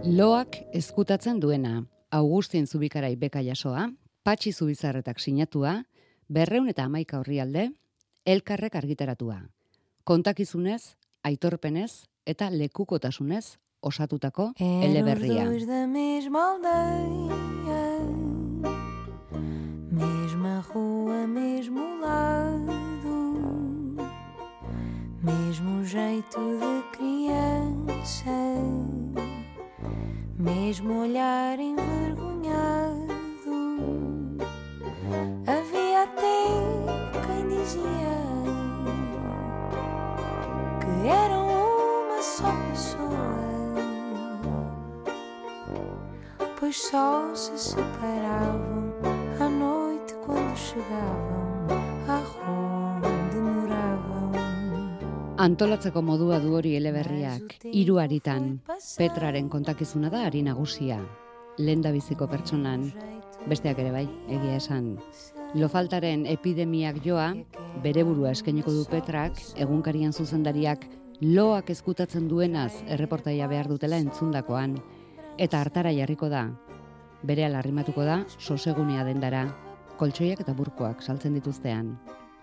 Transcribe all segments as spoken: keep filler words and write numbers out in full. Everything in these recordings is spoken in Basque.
Loak ezkutatzen duena, Augustin Zubikarai beka jasoa, Patxi Zubizarretak sinatua, berreun eta hamaika orrialde, elkarrek argitaratua. Kontakizunez, aitorpenez eta lekukotasunez osatutako eleberria. Eram os dois da mesma aldeia, mesma rua, mesmo lado, mesmo jeito de criança, mesmo olhar envergonhado. Havia até quem dizia que eram uma só pessoa, pois só se separavam à noite quando chegavam à rua onde moravam. Antolatzeko modua du hori eleberriak, hiru aritan. Petraren kontakizuna da ari nagusia. Lehendabiziko pertsonan, besteak ere bai, egia esan. Lofaltaren epidemiak joa, bere burua eskainiko du Petrak, egunkarian zuzendariak loak ezkutatzen duenaz erreportaia behar dutela entzundakoan. Eta hartara jarriko da. Berehala arrimatuko da, sosegunea dendara, koltsoiak eta burkoak saltzen dituztean.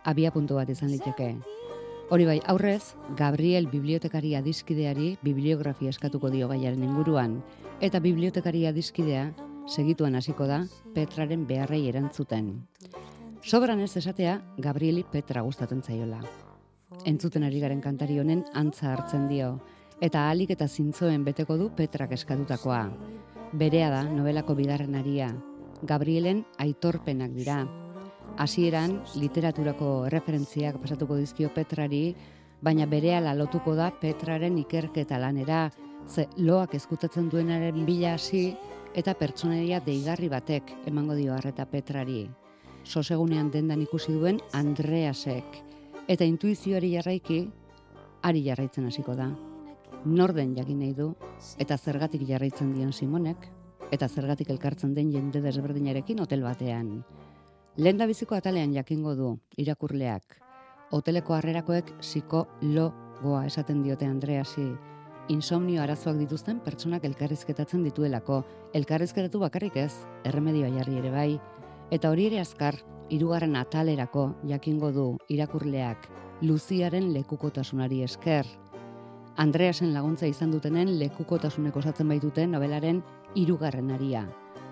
Abia puntu bat izan liteke. Hori bai, aurrez, Gabriel bibliotekari adiskideari bibliografia eskatuko dio gaiaren inguruan, eta bibliotekari adiskidea segituan hasiko da Petraren beharrei erantzuten. Sobran ez esatea, Gabrieli Petra gustatzen zaiola. Entzuten ari garen kantari honen antza hartzen dio, eta ahalik eta zintzoen beteko du Petrak eskatutakoa. Berea da nobelako bigarren aria, Gabrielen aitorpenak dira. Hasieran literaturako erreferentziak pasatuko dizkio Petrari, baina berehala lotuko da Petraren ikerketa lanera, ze loak ezkutatzen duenaren bila hasi eta pertsonaia deigarri batek emango dio arreta Petrari. Sosegunean dendan ikusi duen Andreasek, eta intuizioari jarraiki, ari jarraitzen hasiko da. Norden jakin nahi du, eta zergatik jarraitzen dion Simonek, eta zergatik elkartzen den jende desberdinarekin hotel batean. Lehendabiziko atalean jakingo du, irakurleak. Hoteleko harrerakoek psikologoa esaten diote Andreasi. Insomnio arazoak dituzten pertsonak elkarrizketatzen dituelako. Elkarrizketatu bakarrik ez, erremedioa jarri ere bai. Eta hori ere azkar, hirugarren atalerako jakingo du irakurleak, Luziaren lekukotasunari esker. Andreasen laguntza izan dutenen lekukotasunek osatzen baituten nobelaren hirugarren aria.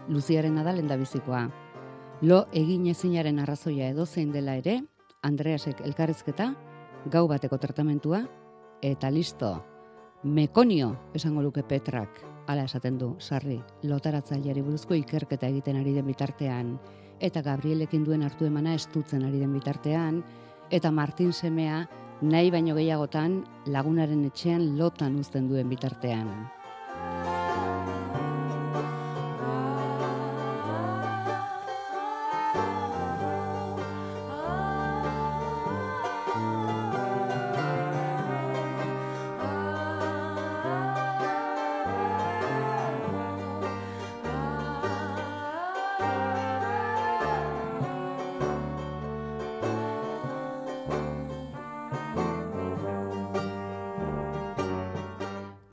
Luziarena da lehendabizikoa. Lo egin ezinaren arrazoia edozein dela ere, Andreasek elkarrizketa, gau bateko tratamentua, eta listo. Mekonio, esango luke Petrak, hala esaten du, sarri, lotaratzaileari buruzko ikerketa egiten ari den bitartean, eta Gabrielekin duen hartu emana estutzen ari den bitartean, eta Martin semea nahi baino gehiagotan lagunaren etxean lotan uzten duen bitartean.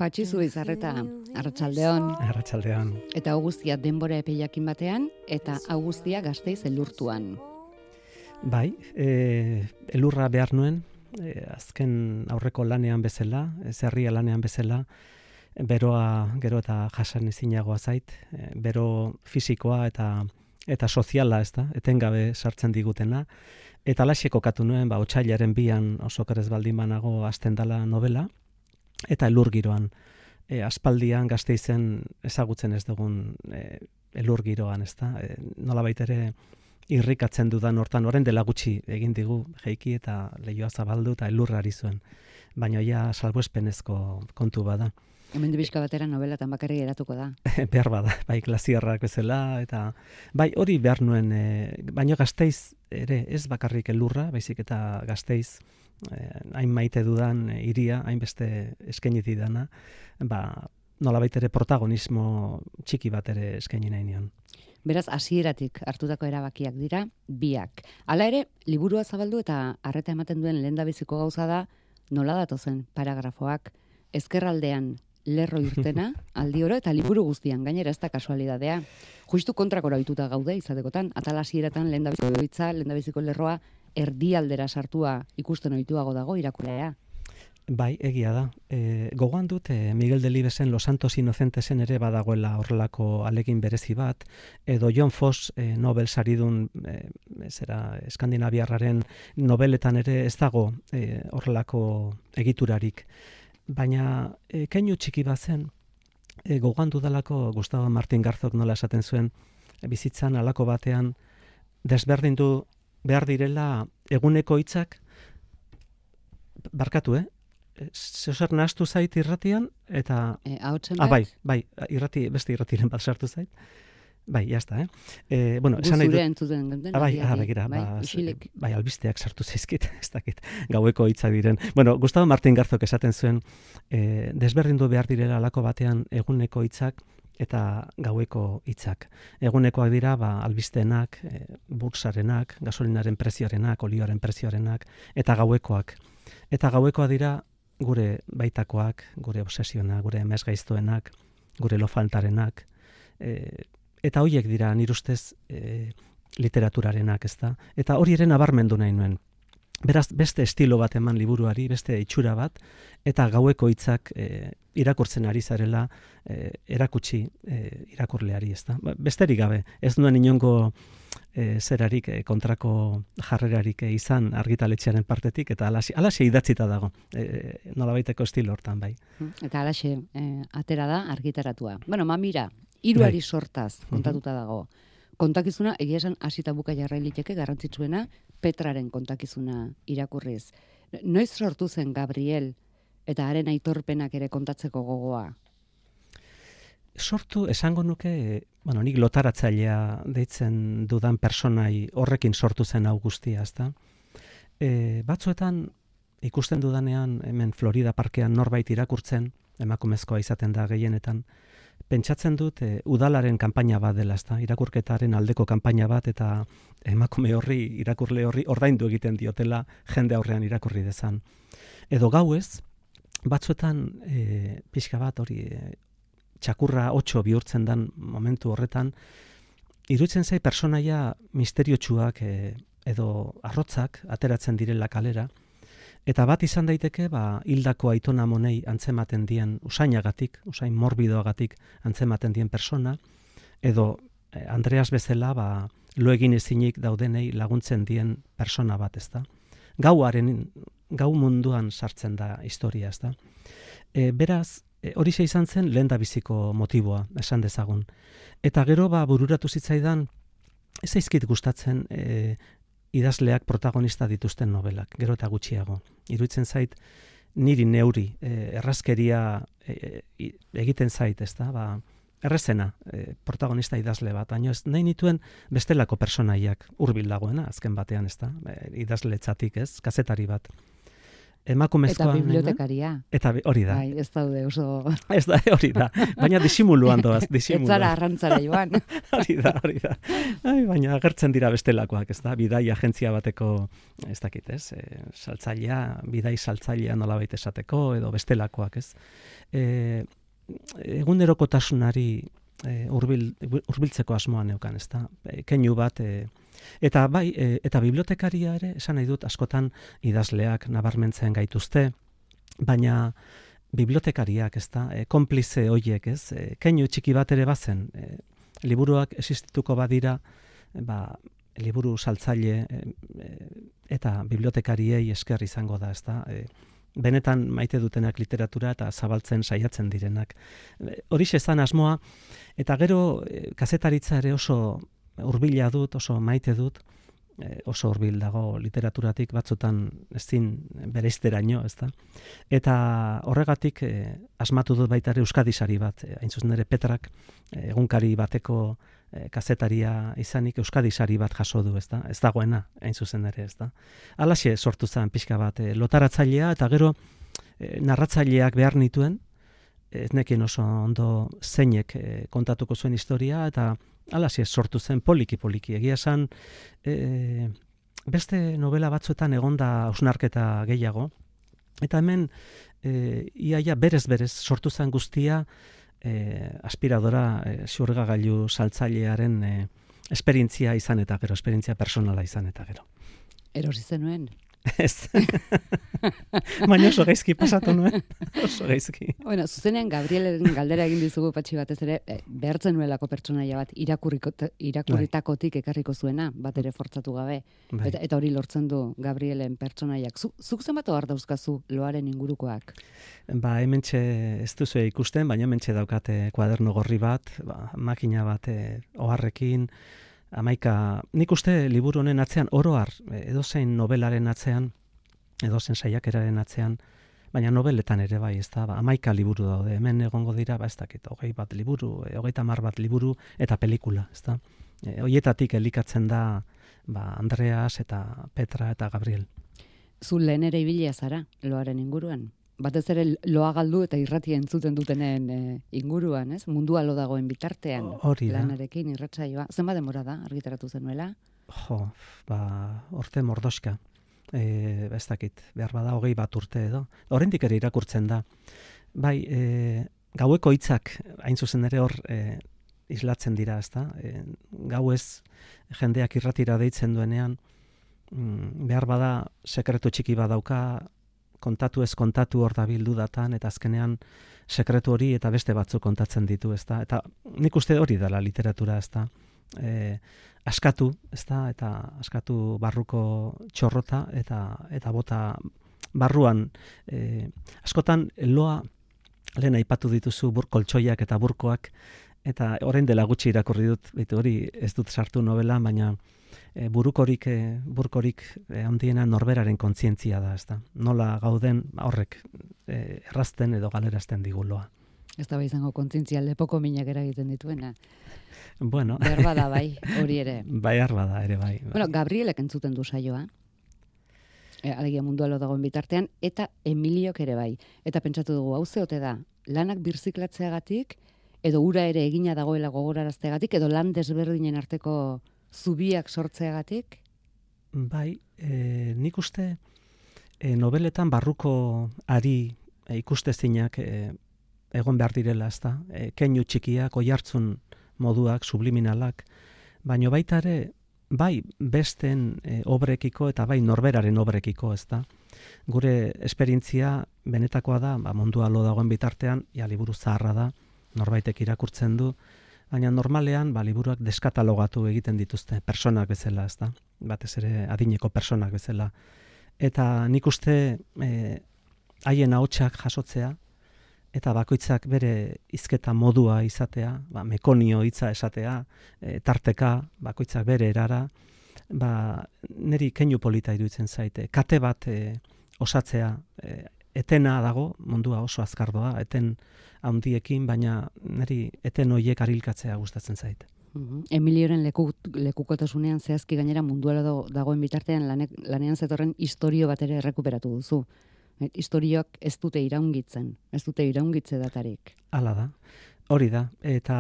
Patxi Zubizarreta, arratsaldeon. Arratsaldeon. Eta Augustia denbora epeiakin batean, eta Augustia Gasteiz elurtuan. Bai, e, elurra behar nuen, e, azken aurreko lanean bezala, zerria lanean bezala, beroa gero eta jasan ezinagoa zait, e, bero fisikoa eta eta soziala, ez da, etengabe sartzen digutena. Eta alaxe kokatu nuen, ba, otsailaren bian oso kerez baldin banago hasten dela novela, eta elur giroan, e, aspaldian Gasteizen ezagutzen ez dugun e, elur giroan, ez da, e, nolabait ere irrikatzen dudan hortan, orain dela gutxi egin digu jeiki eta leioa zabaldu eta elurra ari zuen, baina ja salbuespenezko kontu bada. Hemen dibizka batera nobelatan bakarrik eratuko da. Behar bada, bai glasiarrak bezala, eta bai hori behar nuen, e, baina Gasteiz ere ez bakarrik elurra, baizik eta Gasteiz, hain maite dudan hiria, hainbeste eskaini didana, ba, nolabait ere protagonismo txiki bat ere eskaini nahi nion. Beraz, hasieratik hartutako erabakiak dira, biak. Hala ere, liburua zabaldu eta arreta ematen duen lehendabiziko gauza da, nola datozen paragrafoak, ezkerraldean lerro irtena, aldi oro, eta liburu guztian, gainera ez da kasualidadea. Justu kontrakora ohituta gaude, izatekotan, atal hasieretan lehendabiziko hitza, lehendabiziko lerroa, erdialdera sartua ikusten ohituago dago irakurlea. Bai, egia da. E, gogoan dut, e, Miguel Delibesen Los Santos Inocentesen ere badagoela horrelako alegin berezi bat, edo John Foss e, Nobel saridun, e, zera, Eskandinaviarraren nobeletan ere ez dago e, horrelako egiturarik. Baina e, keinu txiki bat zen, e, gogoan dudalako Gustavo Martín Garzok nola esaten zuen, e, bizitzan alako batean desberdindu behar direla eguneko hitzak, barkatu, eh? Zeozer nahaztu zait irratian, eta... E, Ahotsen ah, bai, bai, irrati, beste irratiren bat sartu zait. Bai, jazta, eh? E, bueno, esan nahi dut... Guzure entzuten genten. Ah, bai, ah, begira, bai, ba, bai, albisteak sartu zaizkit, ez dakit, gaueko hitzak diren. Bueno, Gustavo Martín Garzok esaten zuen, e, desberdindu behar direla alako batean eguneko hitzak eta gaueko hitzak. Egunekoak dira, ba, albisteenak, e, bursarenak, gasolinaren prezioarenak, olioaren prezioarenak, eta gauekoak. Eta gauekoak dira, gure baitakoak, gure obsesionak, gure emezgaiztoenak, gure lofaltarenak, e, eta horiek dira nire ustez e, literaturarenak, ezta? Eta hori ere nabarmendu nahi nuen. Beraz, beste estilo bat eman liburuari, beste itxura bat, eta gaueko hitzak e, irakurtzen ari zarela e, erakutsi e, irakurleari, ezta? Besterik gabe, ez nuen inongo e, zerarik e, kontrako jarrerarik e, izan argitaletxearen partetik, eta alaxe, alaxe idatzita dago, e, nolabaiteko estilo hortan, bai. Eta alaxe e, atera da argitaratua. Bueno, mamira, hiruari bai. Sortaz kontatuta dago. Kontakizuna, egia esan hasita buka jarrailiteke garrantzitsuena, Petraren kontakizuna irakurriz. Noiz sortu zen Gabriel eta haren aitorpenak ere kontatzeko gogoa? Sortu, esango nuke, bueno, nik lotaratzailea deitzen dudan personai horrekin sortu zen hau guztia, ezta? E, batzuetan ikusten dudanean hemen Florida parkean norbait irakurtzen, emakumezkoa izaten da gehienetan, pentsatzen dut e, udalaren kanpaina bat dela, ezta? Irakurketaren aldeko kanpaina bat, eta emakume horri, irakurle horri ordaindu egiten diotela jende aurrean irakurri dezan. Edo gauez, batzuetan e, pixka bat hori e, txakurra otxo bihurtzen dan momentu horretan, iruditzen zai personaia misteriotsuak e, edo arrotzak ateratzen direla kalera, eta bat izan daiteke, ba, hildako aitona monei antzematen dien usainagatik, usain morbidoagatik antzematen dien persona, edo eh, Andreas bezala, ba, lo egin ezinik daudenei laguntzen dien persona bat, ezta? Gauaren, gau munduan sartzen da historia, ezta? E, beraz, e, hori izan zen lehendabiziko motiboa, esan dezagun. Eta gero, ba, bururatu zitzaidan, ez zaizkit gustatzen, e, idazleak protagonista dituzten novelak, gero eta gutxiago. Iruditzen zait, niri neuri, e, errazkeria e, e, egiten zait, ez da, ba, errezena, e, protagonista idazle bat, baina ez nahi nituen bestelako personaiak hurbil dagoena, azken batean, ez da, e, idazletzatik, ez, kazetari bat. Emakumezkoa, eta bibliotekaria. Eta hori da. Bai, ez daude oso... Ez da, hori da. Baina disimuluan doaz, disimuluan. Ez zara arrantzara joan. Hori da, hori da. Ai, baina agertzen dira bestelakoak, ez da? Bidai agentzia bateko, ez dakit, ez? E, saltzailea, bidai saltzailea nolabait esateko, edo bestelakoak, ez? E, egunerokotasunari e, urbil, urbiltzeko asmoa neukan, ez da? E, keinu bat... E, Eta bai, e, eta bibliotekaria ere, esan nahi dut, askotan idazleak nabarmentzen gaituzte, baina bibliotekariak, ez da, e, konplize hoiek, ez, e, keinu txiki bat ere bazen, e, liburuak existituko badira, e, ba, liburu saltzaile e, e, eta bibliotekariei esker izango da, ez da, e, benetan maite dutenak literatura eta zabaltzen saiatzen direnak. E, horixe zan asmoa, eta gero e, kazetaritza ere oso hurbila dut, oso maite dut, oso hurbil dago literaturatik batzutan ezin bereizteraino, ezta? Eta horregatik eh, asmatu dut baita ere Euskadi sari bat, eh, hain zuzen ere Petrak eh, egunkari bateko eh, kazetaria izanik Euskadi sari bat jaso du, ezta? Ez dagoena, hain zuzen ere, ezta? Halaxe sortu zen pixka bat, eh, lotaratzailea eta gero eh, narratzaileak behar nituen, ez nekien oso ondo zeinek eh, kontatuko zuen historia, eta halaxe sortu zen poliki-poliki. Egia esan, e, beste novela batzuetan egonda hausnarketa gehiago, Eta hemen, e, iaia berez-berez sortu zen guztia, e, aspiradora e, xurgagailu saltzailearen e, esperientzia izan eta gero, esperientzia personala izan eta gero. Erosi zenuen? Ez. Baina oso gaizki pasatu nuen. Oso gaizki. Bueno, zuzenean Gabrielen galdera egin dizugu Patxi batez ere, eh, behartzen nuelako pertsonaia bat irakurritakotik ekarriko zuena, bat ere fortzatu gabe. Bai. Eta, eta hori lortzen du Gabrielen pertsonaiak. Zu, zuk zenbat ohar dauzkazu loaren ingurukoak? Ba, hementxe ez duzu ikusten, baina hementxe daukate kuaderno gorri bat, ba, makina bat eh, oharrekin, Amaika, nik uste liburu honen atzean, oroar, edozein novelaren atzean, edozein saiakeraren atzean, baina nobeletan ere bai, ez da, ba, amaika liburu daude, hemen egongo dira, ba, ez dakit, hogei bat liburu, hogeita hamar bat liburu, eta pelikula, ez da. E, hoietatik elikatzen da, ba, Andreas eta Petra eta Gabriel. Zu lehen ere ibilia zara, loaren inguruan? Batez ere loa galdu eta irratia entzuten dutenen e, inguruan, ez? Mundua lo dagoen bitartean. Hori da. Lanarekin irratsaioa. Zenbat denbora da argitaratu zenuela? Jo, ba, orte mordoska. Eh, ez dakit, behar bada hogei bat urte edo. Oraindik ere irakurtzen da. Bai, e, gaueko hitzak hain zuzen ere hor e, islatzen dira, ezta? E, gauez jendeak irratira deitzen duenean, mm, behar bada sekretu txiki badauka, kontatu ez kontatu hor da bildu datan, eta azkenean sekretu hori eta beste batzuk kontatzen ditu, ezta? Eta nik uste hori dela literatura, ezta? E, askatu, ezta? Eta askatu barruko txorrota, eta eta bota barruan, e, askotan loa lehen aipatu dituzu bur koltsoiak eta burkoak, eta orain dela gutxi irakurri dut, baitu hori ez dut sartu novela, baina E, burukorik, e, burkorik e, handiena norberaren kontzientzia da, ezta. Nola gauden horrek e, errazten edo galerazten diguloa. Ez da bai izango kontzientzia lepoko minak eragiten dituena. Bueno. Behar bada bai, hori ere. Behar bada ere bai. bai. Bueno, Gabrielek entzuten du saioa. E, alegia mundua lo dagoen bitartean, eta Emiliok ere bai. Eta pentsatu dugu, hau zeote da, lanak birziklatzeagatik, edo ura ere egina dagoela gogorarazteagatik, edo lan desberdinen arteko zubiak sortzeagatik? Bai, e, nik uste e, nobeletan barruko ari e, ikustezinak e, egon behar direla, ezta? E, keinu txikiak, oihartzun moduak, subliminalak, baino baita ere, bai besten e, obrekiko eta bai norberaren obrekiko, ezta? Gure esperientzia benetakoa da, ba, mundua lo dagoen bitartean, ja liburu zaharra da, norbaitek irakurtzen du, baina normalean, ba, liburuak deskatalogatu egiten dituzte, personak bezala, ezta? Batez ere adineko personak bezala. Eta nik uste haien ahotsak jasotzea, eta bakoitzak bere hizketa modua izatea, ba, mekonio hitza esatea, e, tarteka, bakoitzak bere erara, ba, niri keinu polita iruditzen zaite. Kate bat e, osatzea, e, etena dago, mundua oso azkar doa, eten handiekin, baina niri eten hoiek arilkatzea gustatzen zait. Uh-huh. Emilioren leku, lekukotasunean zehazki gainera munduela dagoen bitartean lanek, lanean zetorren istorio bat ere errekuperatu duzu. Et, istorioak ez dute iraungitzen, ez dute iraungitze datarik. Hala da, hori da, eta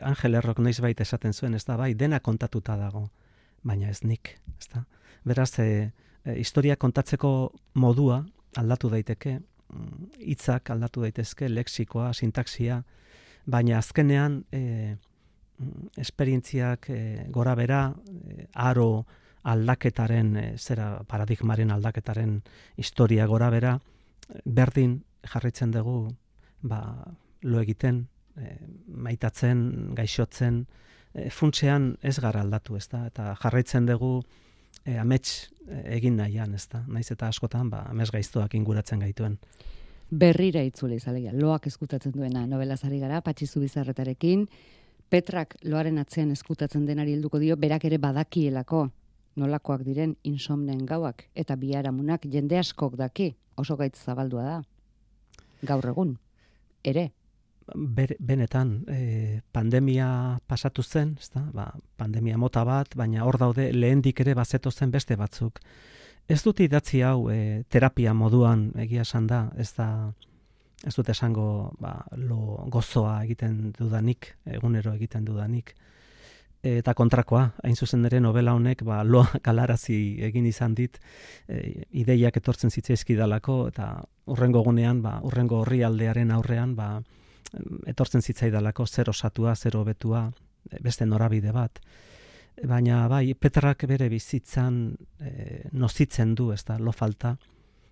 Angel Errok noizbait esaten zuen, ez da, bai, dena kontatuta dago, baina ez nik, ez da. Beraz, e, e, historia kontatzeko modua aldatu daiteke, hitzak aldatu daitezke, lexikoa, sintaxia, baina azkenean e, esperientziak e, gora bera, e, aro aldaketaren, e, zera paradigmaren aldaketaren historia gora bera, berdin jarraitzen dugu, ba, lo egiten, e, maitatzen, gaixotzen, e, funtsean ez gara aldatu, ezta? Eta jarraitzen dugu E, amets egin nahian, ez da. Naiz eta askotan, ba, amets gaiztoak inguratzen gaituen. Berrira itzule izalegia, loak eskutatzen duena novelazari gara, Patxi Zubizarretarekin, Petrak loaren atzean eskutatzen denari helduko dio, berak ere badakielako nolakoak diren insomnen gauak, eta biharamunak jende askok daki, oso gaitz zabaldua da. Gaur egun, ere. Ber, benetan, e, pandemia pasatu zen, ezta? Ba, pandemia mota bat, baina hor daude lehendik ere bazeto zen beste batzuk. Ez dut idatzi hau e, terapia moduan egia esan da, ez da, ez dut esango ba, lo gozoa egiten dudanik, egunero egiten dudanik. eta kontrakoa, hain zuzen ere novela honek ba, loa galarazi egin izan dit, e, ideiak etortzen zitzaizkidalako, eta urrengo gunean, ba, urrengo orrialdearen aurrean, ba, etortzen zitzaidalako zer osatua, zer hobetua, beste norabide bat. Baina bai, Petrak bere bizitzan e, nozitzen du, ez da, lo falta,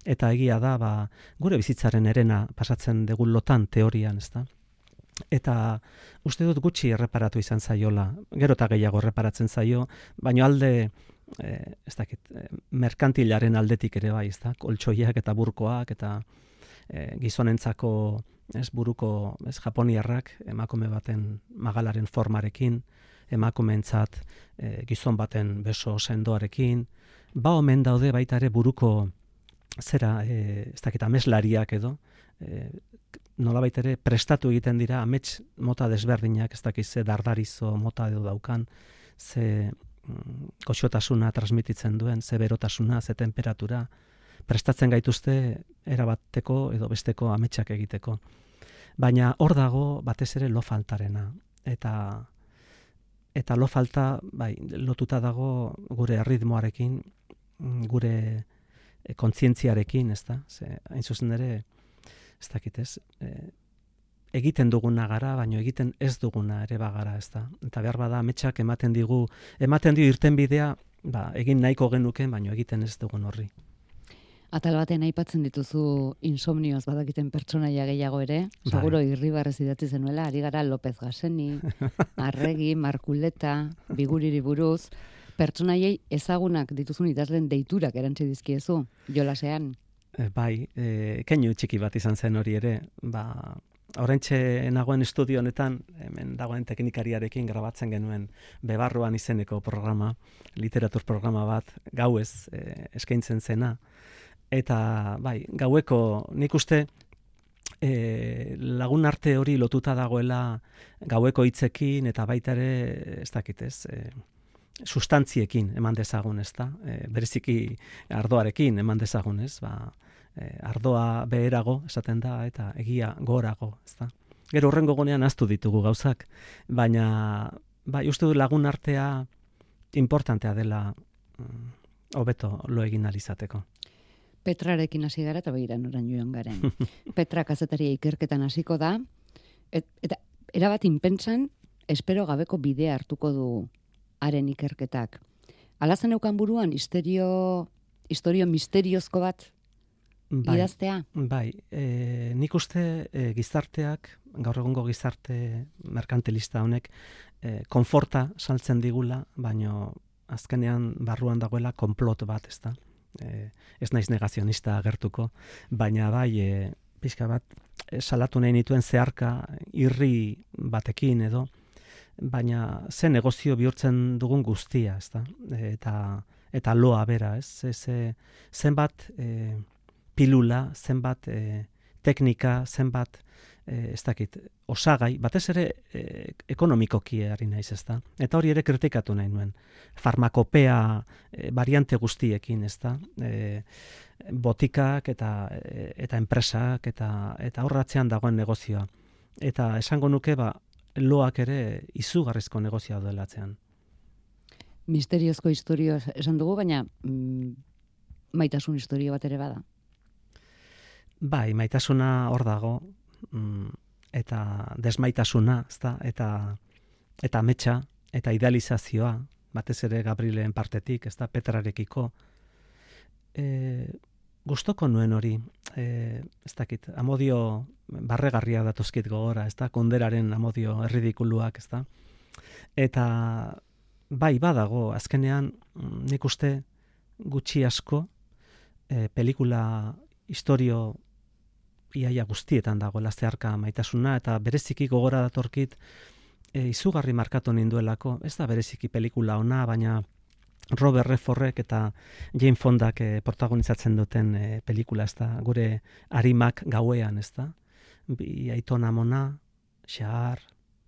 eta egia da, ba, gure bizitzaren erena pasatzen dugu lotan teorian, ez da. Eta uste dut gutxi erreparatu izan zaiola, gero eta gehiago erreparatzen zaio, baina alde, e, ez dakit, e, merkantilaren aldetik ere bai, ez da, koltsoiak eta burkoak, eta e, gizonentzako ez buruko ez japoniarrak, emakume baten magalaren formarekin, emakumeentzat e, gizon baten beso sendoarekin, ba omen daude baita ere buruko zera, e, ez dakit, ameslariak edo, e, nolabait ere prestatu egiten dira amets mota desberdinak, ez dakiz ze dardarizo mota edo daukan, ze mm, goxotasuna transmititzen duen, ze berotasuna, ze temperatura, prestatzen gaituzte erabateko edo besteko ametsak egiteko. Baina hor dago batez ere lo faltarena, eta eta lo falta bai, lotuta dago gure erritmoarekin, gure kontzientziarekin, ez da? Ze, hain zuzen ere, ez dakit ez, e, egiten duguna gara, baino egiten ez duguna ere bagara, ez da. Eta behar bada ametsak ematen digu, ematen dio irten bidea, ba, egin nahiko genuken, baino egiten ez dugun horri. Atal batean aipatzen dituzu insomnioz badakiten pertsonaia gehiago ere, seguro Irribarrez idatzi zenuela, ari gara López Gaseni, Arregi, Markuleta, Biguriri buruz, pertsonaiei ezagunak dituzun idazlen deiturak erantzi dizkiezu, jolasean. Bai, e, keinu txiki bat izan zen hori ere, ba, oraintxe nagoen estudio honetan, hemen dagoen teknikariarekin grabatzen genuen Bebarruan izeneko programa, literatur programa bat, gauez e, eskaintzen zena, eta bai, gaueko nik uste e, lagun arte hori lotuta dagoela gaueko hitzekin, eta baita ere, ez dakit ez, e, sustantziekin eman dezagun, ez da? E, bereziki ardoarekin eman dezagun, ez? Ba, e, ardoa beherago, esaten da, eta egia gorago, ez da? Gero horrengo gonean ahaztu ditugu gauzak, baina bai, uste du lagun artea importantea dela hobeto mm, lo egin alizateko. Petrarekin hasi gara eta begira noran joan garen. Petra kazetaria ikerketan hasiko da, et, eta erabat inpentsan, espero gabeko bidea hartuko du haren ikerketak. Alazen eukan buruan, histerio, historio misteriozko bat bai, idaztea? Bai, e, nik uste e, gizarteak, gaur egungo gizarte merkantilista honek, e, konforta saltzen digula, baino azkenean barruan dagoela konplot bat, ez da? E, ez naiz negazionista agertuko, baina bai, e, pixka bat, e, salatu nahi nituen zeharka irri batekin edo, baina ze negozio bihurtzen dugun guztia, ez da? Eta, eta loa bera, ez? Ze, zenbat e, pilula, zenbat e, teknika, zenbat, e, ez dakit, osagai, batez ere e, ekonomikoki ari naiz, ez da? Eta hori ere kritikatu nahi nuen. Farmakopea e, variante guztiekin, ez da? E, botikak eta, e, eta enpresak eta, eta horratzean dagoen negozioa. Eta esango nuke, ba, loak ere izugarrizko negozioa duelatzean. Misteriozko historio esan dugu, baina mm, maitasun historio bat ere bada. Bai, maitasuna hor dago, mm, eta desmaitasuna, ezta, eta eta ametsa, eta idealizazioa, batez ere Gabrielen partetik, ezta, Petrarekiko. E, Gustoko nuen hori, e, ez dakit, amodio barregarria datozkit gogora, ez da, konderaren amodio erridikuluak, ez da. Eta bai, badago, azkenean nik uste gutxi asko e, pelikula historio iaia guztietan dago zeharka maitasuna, eta bereziki gogora datorkit e, izugarri markatu ninduelako, ez da bereziki pelikula ona, baina Robert Redfordek eta Jane Fondak eh, protagonizatzen duten eh, pelikula, ez da, gure arimak gauean, ez da, bi aitona mona, xahar,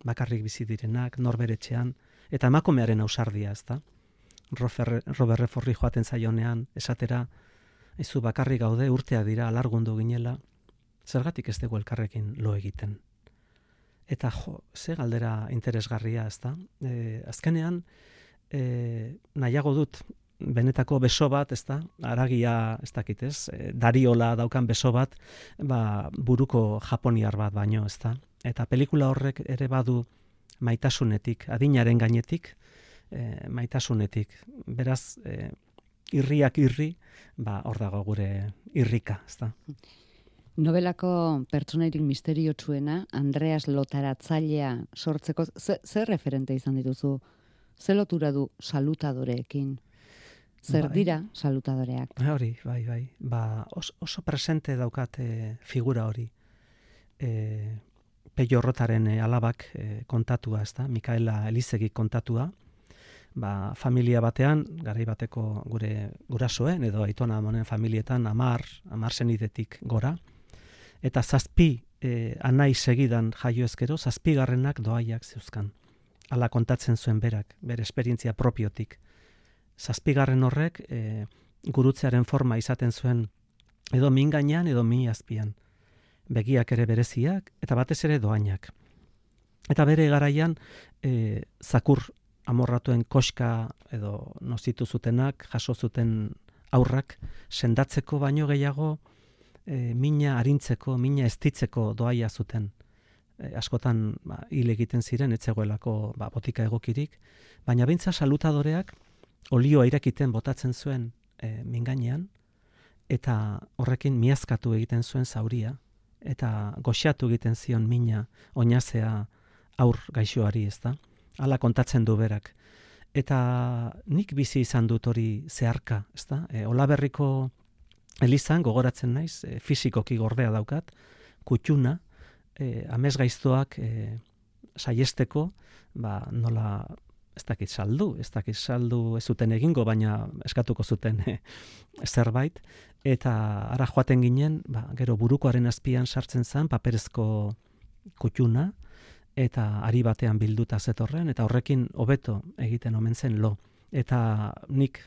bakarrik bizi direnak, norberetxean, eta emakumearen ausardia, ez da. Robert Redfordi joaten zaionean, esatera, ezu bakarrik gaude, urtea dira, alargundu ginela, zergatik ez dugu elkarrekin lo egiten. Eta jo, ze galdera interesgarria, ezta? E, azkenean, e, nahiago dut, benetako beso bat, ezta? Haragia, ez dakit, ez? E, dariola daukan beso bat, ba, buruko japoniar bat baino, ezta? Eta pelikula horrek ere badu maitasunetik, adinaren gainetik, e, maitasunetik. Beraz, e, irriak irri, ba, hor dago gure irrika, ezta? Nobelako pertsonairik misteriotsuena, Andreas Lotaratzailea sortzeko, ze, ze referente izan dituzu? Ze lotura du salutadoreekin? Zer Bai. dira salutadoreak? Hori, bai, bai. Ba, oso, oso presente daukat e, figura hori. E, Peio Rotaren e, alabak e, kontatua, ezta? Mikaela Elizegi kontatua. Ba, familia batean, garai bateko gure gurasoen edo aitona amonen familietan amar, amar senidetik gora. Eta zazpi e, anai segidan jaio ezkero, zazpigarrenak doaiak zeuzkan. Hala kontatzen zuen berak, bere esperientzia propiotik. Zazpigarren horrek e, gurutzearen forma izaten zuen edo min gainean edo mi azpian. Begiak ere bereziak eta batez ere doainak. Eta bere garaian e, zakur amorratuen koska edo nozitu zutenak, jaso zuten aurrak, sendatzeko baino gehiago e, mina arintzeko, mina estitzeko doaia zuten. E, askotan ba, hil egiten ziren, etzegoelako ba, botika egokirik, baina bintza salutadoreak olioa irakiten botatzen zuen e, mingainean, eta horrekin miazkatu egiten zuen zauria, eta goxatu egiten zion mina oinazea aur gaixoari, ezta? Hala kontatzen du berak. Eta nik bizi izan dut hori zeharka, ezta? E, Olaberriko elizan gogoratzen naiz, e, fisikoki gordea daukat, kutxuna, e, amesgaiztoak e, saiesteko, ba, nola ez dakit saldu, ez dakit saldu ez zuten egingo, baina eskatuko zuten e, zerbait, eta ara joaten ginen, ba, gero burukoaren azpian sartzen zen paperezko kutxuna, eta ari batean bilduta zetorren, eta horrekin hobeto egiten omen zen lo. Eta nik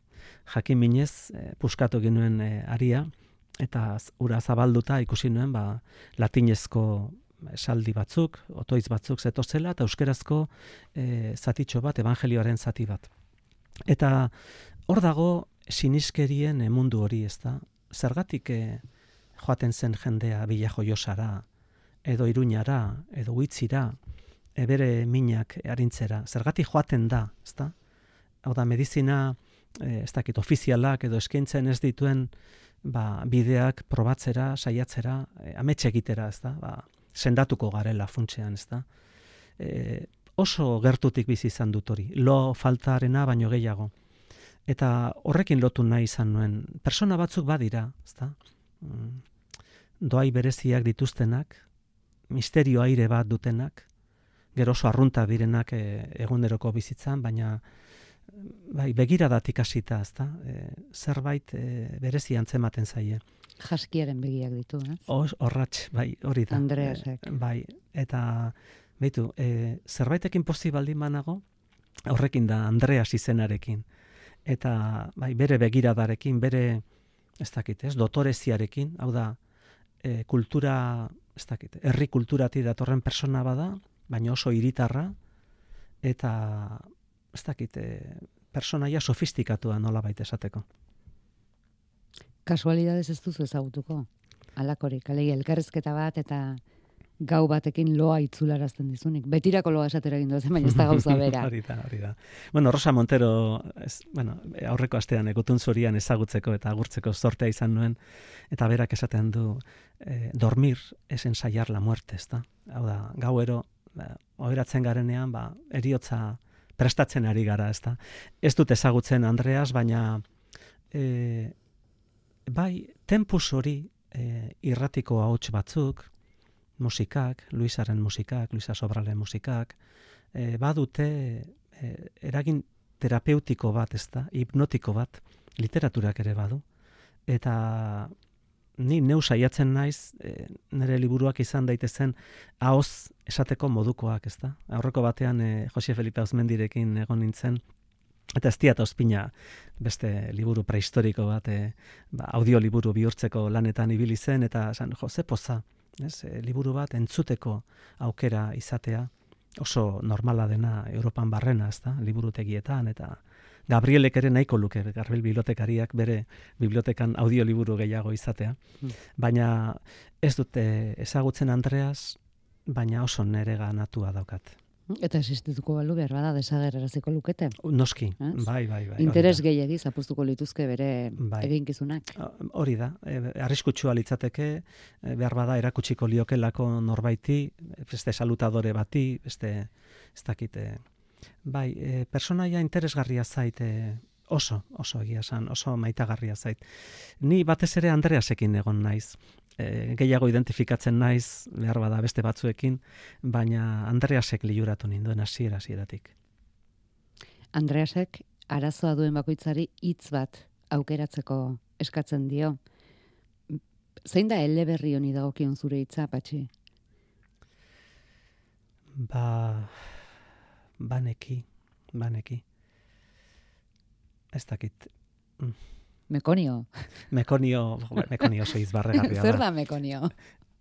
jakin minez e, puskatu ginuen e, aria, eta ura zabalduta ikusi nuen ba, latinezko esaldi batzuk, otoitz batzuk zetozela, eta euskerazko e, zatitxo bat, evangelioaren zati bat. Eta hor dago siniskerien e, mundu hori, ez da? Zergatik e, joaten zen jendea Bila Joiosara, edo Iruñara, edo Huitzira, e, bere minak arintzera. Zergatik joaten da, ez da? Hau da, medizina, e, ez dakit, ofizialak edo eskaintzen ez dituen ba, bideak probatzera, saiatzera, e, ametxe egitera, ez da? Ba, sendatuko garela funtsean, ez da? E, oso gertutik bizi izan dut hori, lo faltarena baino gehiago. Eta horrekin lotu nahi izan nuen. Persona batzuk badira, ez da? Mm, doai bereziak dituztenak, misterio aire bat dutenak, gero oso arrunta direnak e, eguneroko bizitzan, baina bai, begiradatik hasita, ez da? E, zerbait e, berezi antzematen zaie. Jaskiaren begiak ditu, eh? Horratx, bai, hori da. Andreasek. E, bai, eta beitu, e, zerbaitekin pozi baldin banago, horrekin da Andreas izenarekin. Eta bai, bere begiradarekin, bere, ez dakit, ez, dotoreziarekin, hau da, e, kultura, ez dakit, herri kulturati datorren persona bada, baina oso hiritarra, eta, ez dakit, e, personaia sofistikatua nolabait esateko. Kasualidades ez duzu ezagutuko. Alakorik, alegia elkarrizketa bat eta gau batekin loa itzularazten dizunik. Betirako loa esatera egin duzen, baina ez da gauza bera. Hori da, hori da. Bueno, Rosa Montero, ez, bueno, aurreko astean egutun zurian ezagutzeko eta agurtzeko sortea izan nuen, eta berak esaten du, eh, dormir es ensayar la muerte, ez da? Hau da, gauero, ba, oheratzen garenean, ba, eriotza prestatzen ari gara, ez da? Ez dut ezagutzen Andreas, baina eh, bai, tempus hori e, irratiko ahots batzuk, musikak, Luisaren musikak, Luisa Sobralen musikak, e, badute e, eragin terapeutiko bat, ez da, hipnotiko bat, literaturak ere badu. Eta ni neu saiatzen naiz, e, nire liburuak izan daitezen ahoz esateko modukoak, ez da. Aurreko batean e, Jose Felipe Auzmendirekin egon nintzen, eta ez diat ospina beste liburu prehistoriko bat, e, ba, audioliburu bihurtzeko lanetan ibili zen, eta esan, jo, ze poza, ez? E, liburu bat entzuteko aukera izatea, oso normala dena Europan barrena, ezta? Liburutegietan eta Gabrielek ere nahiko luke, Gabriel bibliotekariak bere bibliotekan audioliburu gehiago izatea. Mm. Baina ez dute ezagutzen Andreas, baina oso nere ganatua daukat. Eta existituko balu behar bada desagerraraziko lukete. Noski, bai, bai, bai. Interes gehiegi zapuztuko lituzke bere bai. eginkizunak. Hori da, e, arriskutsua litzateke, e, behar bada erakutsiko liokelako norbaiti, beste salutadore bati, beste ez dakite. Bai, e, personaia interesgarria zait, e, oso, oso egia esan, oso maitagarria zait. Ni batez ere Andreasekin egon naiz. E, gehiago identifikatzen naiz, behar bada beste batzuekin, baina Andreasek liuratu ninduen hasiera hasieratik. Andreasek arazoa duen bakoitzari hitz bat aukeratzeko eskatzen dio. Zein da eleberri honi dagokion zure hitza, Patxi? Ba, baneki, baneki. Ez dakit. Mekonio. Mekonio, mekonio oso hitz barregarria da. Zer da mekonio?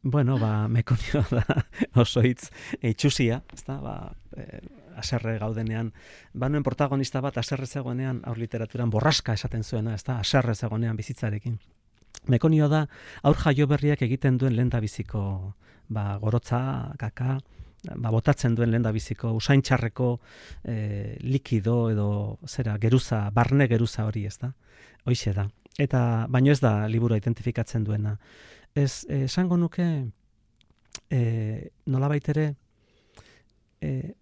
Bueno, ba, mekonio da oso hitz itxusia, ezta? Ba, e, aserre gaudenean, banuen protagonista bat aserre zegoenean aur literaturan borraska esaten zuena, ezta? Aserre zegoenean bizitzarekin. Mekonio da aur jaio berriak egiten duen lehendabiziko, ba, gorotza, kaka, ba, botatzen duen lehendabiziko usaintxarreko e, likido edo zera geruza, barne geruza hori, ezta? Hoixe da. Eta baino ez da liburu identifikatzen duena. Ez esango nuke e, nolabait ere e,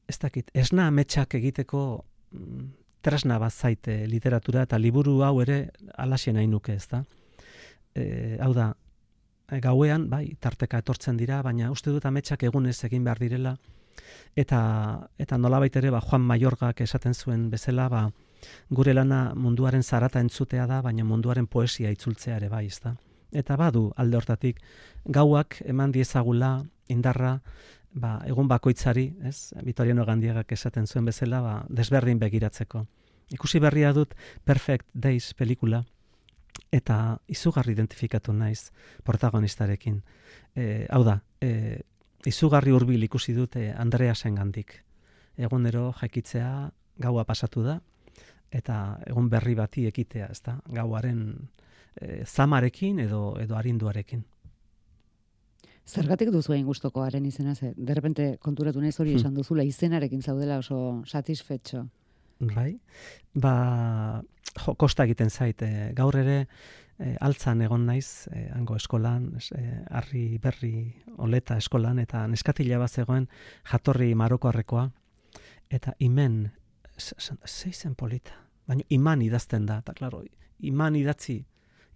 ez dakit, esna ametsak egiteko mm, tresna bat zaite literatura eta liburu hau ere alaxe nahi nuke, ezta? E, hau da, gauean, bai, tarteka etortzen dira, baina uste dut ametsak egunez egin behar direla, eta, eta nolabait ere, ba, Juan Mayorgak esaten zuen bezala, ba, gure lana munduaren zarata entzutea da, baina munduaren poesia itzultzea ere bai, ezta? Eta badu alde hortatik, gauak eman diezagula indarra, ba, egun bakoitzari, ez? Vitoriano Gandiagak esaten zuen bezala, ba, desberdin begiratzeko. Ikusi berria dut Perfect Days pelikula, eta izugarri identifikatu naiz protagonistarekin. E, hau da, e, izugarri hurbil ikusi dute Andreasengandik. Egunero jakitzea gaua pasatu da, eta egun berri bati ekitea, ezta? Gauaren e, zamarekin edo edo arinduarekin. Zergatik duzu hain gustoko haren izena, ze de repente konturatu naiz hori esan duzula izenarekin zaudela oso satisfetxo. Bai. Ba, jo, kosta egiten zait, e, gaur ere e, altzan egon naiz, e, hango eskolan, e, Harri Berri Oleta eskolan, eta neskatila bat zegoen jatorri marokoarrekoa, eta imen, zeizen polita, baina iman idazten da, eta klaro, iman idatzi,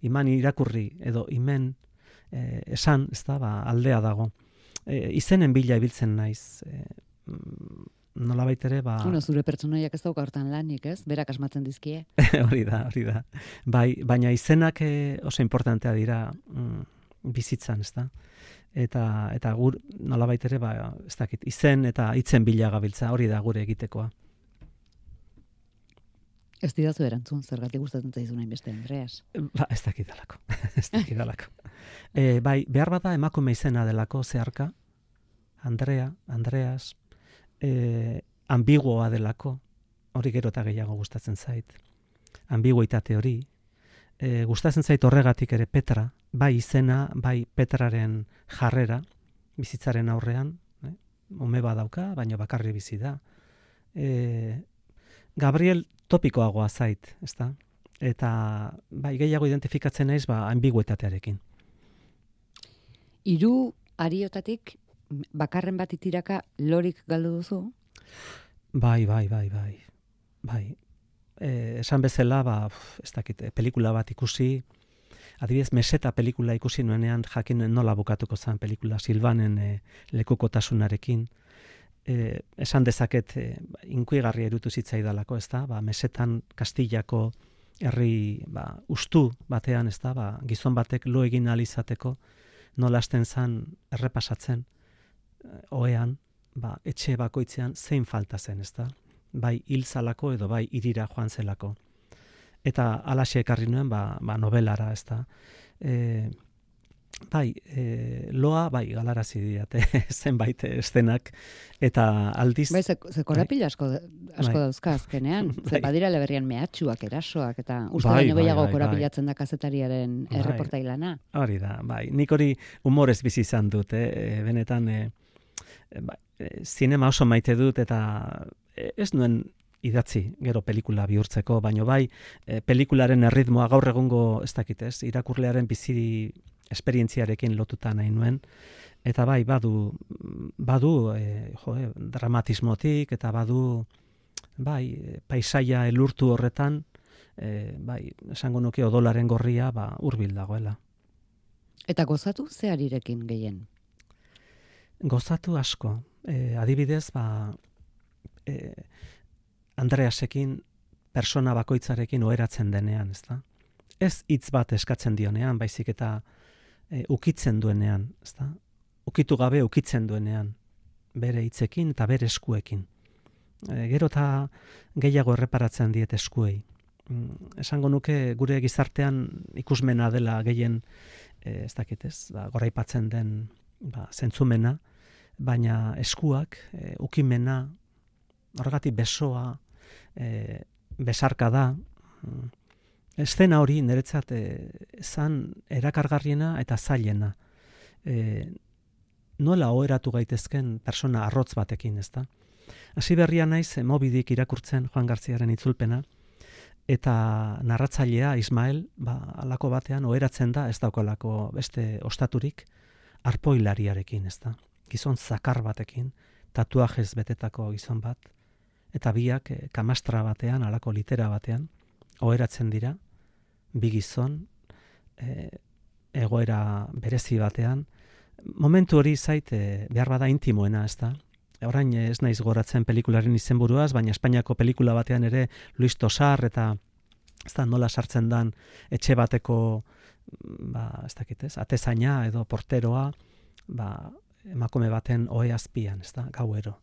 iman irakurri, edo imen e, esan, ez da, ba, aldea dago. E, izenen bila ibiltzen naiz, e, nolabait ere, ba... Bueno, zure pertsonaiak ez dauka hortan lanik, ez? Berak asmatzen dizkie. hori da, hori da. Bai, baina izenak e, oso importantea dira mm, bizitzan, ez da? Eta, eta gur, nolabait ere, ba, ez dakit, izen eta hitzen bila gabiltza, hori da gure egitekoa. Ez didazu erantzun, zergatik gustatzen zaizun hainbeste, Andreas. Ba, ez dakidalako, ez dakidalako. e, bai, behar bada emakume izena delako zeharka, Andrea, Andreas, e, ambiguoa delako, hori gero eta gehiago gustatzen zait. Ambiguitate hori. E, gustatzen zait horregatik ere Petra, bai izena, bai Petraren jarrera, bizitzaren aurrean, eh? Ume badauka, baina bakarri bizi da. E, Gabriel topikoagoa zait, ezta? Eta bai gehiago identifikatzen naiz ba ambiguetatearekin. Hiru ariotatik bakarren bat itiraka lorik galdu duzu? Bai, bai, bai, bai. Bai. Eh, esan bezala, ba, ez dakit, pelikula bat ikusi, adibidez, Meseta pelikula ikusi nuenean jakin nola bukatuko zen pelikula Silvanen e, lekukotasunarekin. E, esan dezaket e, inkuigarri erutu zitzaidalako, ez da, ba, Mesetan Kastillako herri ba, ustu batean, ez da, ba, gizon batek lo egin ahal izateko nola hasten zen errepasatzen ohean, ba, etxe bakoitzean zein falta zen, ez da, bai hil zalako edo bai hirira joan zelako. Eta halaxe ekarri nuen ba, ba novelara, ez da. E, bai, e, loa, bai, galarazi diate zenbait estenak, eta aldiz... Bai, ze, ze korapila asko, asko bai. dauzka azkenean. Ze Bai. badira eleberrian mehatxuak, erasoak, eta uste Bai, baino bai, gehiago bai, korapilatzen da kazetariaren Bai. erreportailana. Hori da, bai. Nik hori humorez bizi izan dut, eh? Benetan, eh, bai, eh, zinema oso maite dut, eta eh, ez nuen idatzi gero pelikula bihurtzeko, baino bai, eh, pelikularen erritmoa gaur egungo, ez dakit ez, irakurlearen bizi esperientziarekin lotuta nahi nuen, eta bai, badu, badu eh, jo, eh, dramatismotik, eta badu, bai, paisaia elurtu horretan, eh, bai, esango nuke odolaren gorria, ba, hurbil dagoela. Eta gozatu ze harirekin gehien? Gozatu asko. Eh, adibidez, ba, eh, Andreasekin, persona bakoitzarekin oheratzen denean, ezta? Ez hitz bat eskatzen dionean, baizik eta e, ukitzen duenean, ezta? Ukitu gabe ukitzen duenean, bere hitzekin eta bere eskuekin. E, gero eta gehiago erreparatzen diet eskuei. Mm, esango nuke gure gizartean ikusmena dela gehien, e, ez dakit ez, ba, goraipatzen den ba, zentzumena, baina eskuak, e, ukimena, horregatik besoa, e, besarka da, eszena hori niretzat e, zan erakargarriena eta zailena. E, nola oheratu gaitezken persona arrotz batekin, ezta? Hasi berria naiz e, Mobidik irakurtzen Juan Garziaren itzulpena, eta narratzailea Ismael, ba, alako batean oheratzen da, ez daukalako beste ostaturik, arpoilariarekin, ezta? Gizon zakar batekin, tatuajez betetako gizon bat, eta biak e, kamastra batean, alako litera batean, oheratzen dira, bi gizon, e, egoera berezi batean, momentu hori zait e, behar bada intimoena, ez da? Orain ez naiz goratzen pelikularen izenburuaz, baina Espainiako pelikula batean ere Luis Tosar eta ez da nola sartzen dan etxe bateko ba, ez dakit ez, atezaina edo porteroa, ba, emakume baten ohe azpian, ez da, gauero.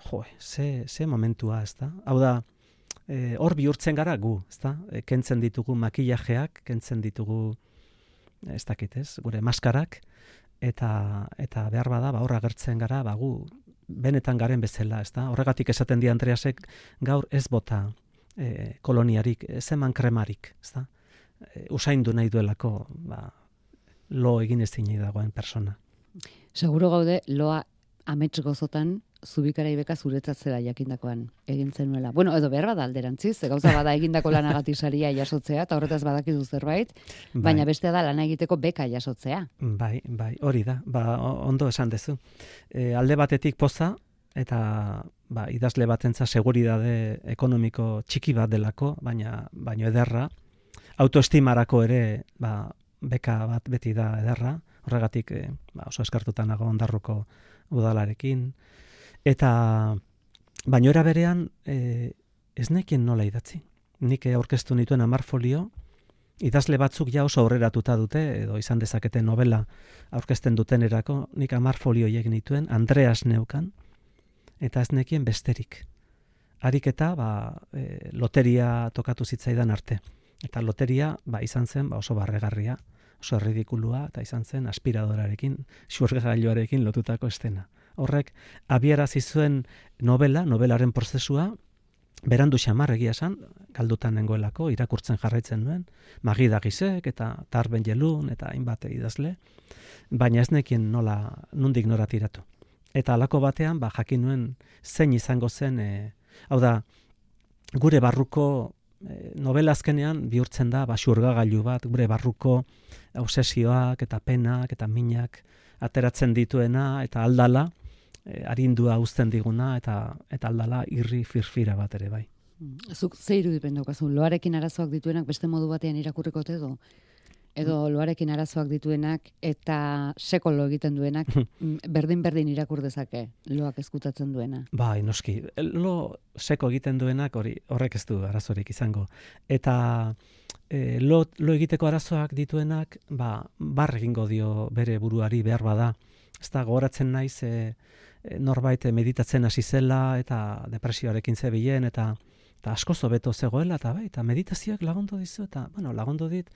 Jo, ze, ze momentua, ez da? Hau da, e, hor bihurtzen gara gu, ez da? E, kentzen ditugu makillajeak, kentzen ditugu, ez dakit ez, gure maskarak, eta, eta behar bada, ba, hor agertzen gara, ba, gu, benetan garen bezala, ez da? Horregatik esaten di Andreasek, gaur ez bota e, koloniarik, ez eman kremarik, ez da? E, usaindu nahi duelako, ba, lo egin ezin dagoen persona. Seguro gaude, loa amets gozotan, zubikara ibeka zuretzat zera jakindakoan egin zenuela. Bueno, edo behar bada alderantziz, gauza bada egindako lanagatik saria jasotzea, eta horretaz badakizu zerbait, bai. Baina bestea da lana egiteko beka jasotzea. Bai, bai, hori da, ba, ondo esan dezu. E, alde batetik poza, eta ba, idazle batentza seguridade ekonomiko txiki bat delako, baina baino ederra, autoestimarako ere ba, beka bat beti da ederra, horregatik e, ba, oso eskartuta nago Ondarruko udalarekin, eta baino era berean e, ez nekien nola idatzi. Nik aurkeztu nituen hamar folio, idazle batzuk ja oso aurreratuta dute, edo izan dezakete novela aurkezten dutenerako, nik hamar folio egin nituen, Andreas neukan, eta ez nekien besterik. Harik eta ba, e, loteria tokatu zitzaidan arte. Eta loteria ba, izan zen ba, oso barregarria, oso erridikulua, eta izan zen aspiradorarekin, xurgailuarekin lotutako estena. Horrek, abiarazi zuen novela, novelaren prozesua, berandu xamar egia esan, galdutan nengoelako, irakurtzen jarraitzen nuen, Magida Gisek eta Tarben Jelun eta hainbat idazle, baina ez nekien nola, nundik nora tiratu. Eta halako batean, ba, jakin nuen zein izango zen, e, hau da, gure barruko e, novela azkenean bihurtzen da, ba, xurgagailu bat, gure barruko obsesioak eta penak eta minak ateratzen dituena eta aldala, E, arindua uzten diguna eta eta aldala irri firfira bat ere bai. Zuk ze irudipen daukazu, loarekin arazoak dituenak beste modu batean irakurriko edo? Edo loarekin arazoak dituenak eta sekolo egiten duenak berdin-berdin irakur dezake loak ezkutatzen duena? Bai, noski. Lo seko egiten duenak hori horrek ez du arazorik izango. Eta e, lo, lo egiteko arazoak dituenak, ba, bar egingo dio bere buruari behar bada. Ez da, gogoratzen naiz, e, norbait meditatzen hasi zela eta depresioarekin zebilen eta eta asko zobeto zegoela, eta bai, eta meditazioak lagundu dizu, eta, bueno, lagundu dit,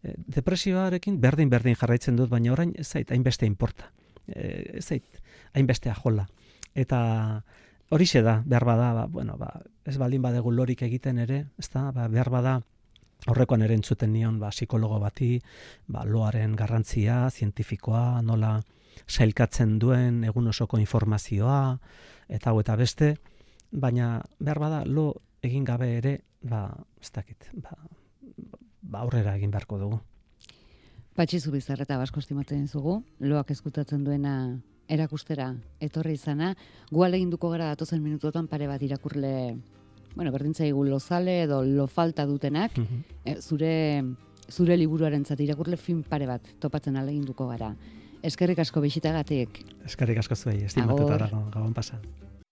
e, depresioarekin berdin-berdin jarraitzen dut, baina orain ez zait, hainbeste inporta. E, ez zait, hainbeste ajola. Eta horixe da, behar bada, ba, bueno, ba, ez baldin badegu lorik egiten ere, ez da, ba, behar bada, horrekoan ere entzuten nion, ba, psikologo bati, ba, loaren garrantzia, zientifikoa, nola sailkatzen duen egun osoko informazioa, eta hau eta beste, baina behar bada lo egin gabe ere, ba, ez dakit, ba, ba aurrera egin beharko dugu. Patxi Zubizarreta basko estimatzen zugu, loak eskutatzen duena erakustera etorri izana, gu ahaleginduko gara datozen minutotan pare bat irakurle, bueno, berdintzaigu lozale edo lo falta dutenak, Mhm. e, zure zure liburuarentzat irakurle film pare bat topatzen ahaleginduko gara. Eskerrik asko bisitagatik. Eskerrik asko zuei, estimatuta Agur. dago, gabon pasan.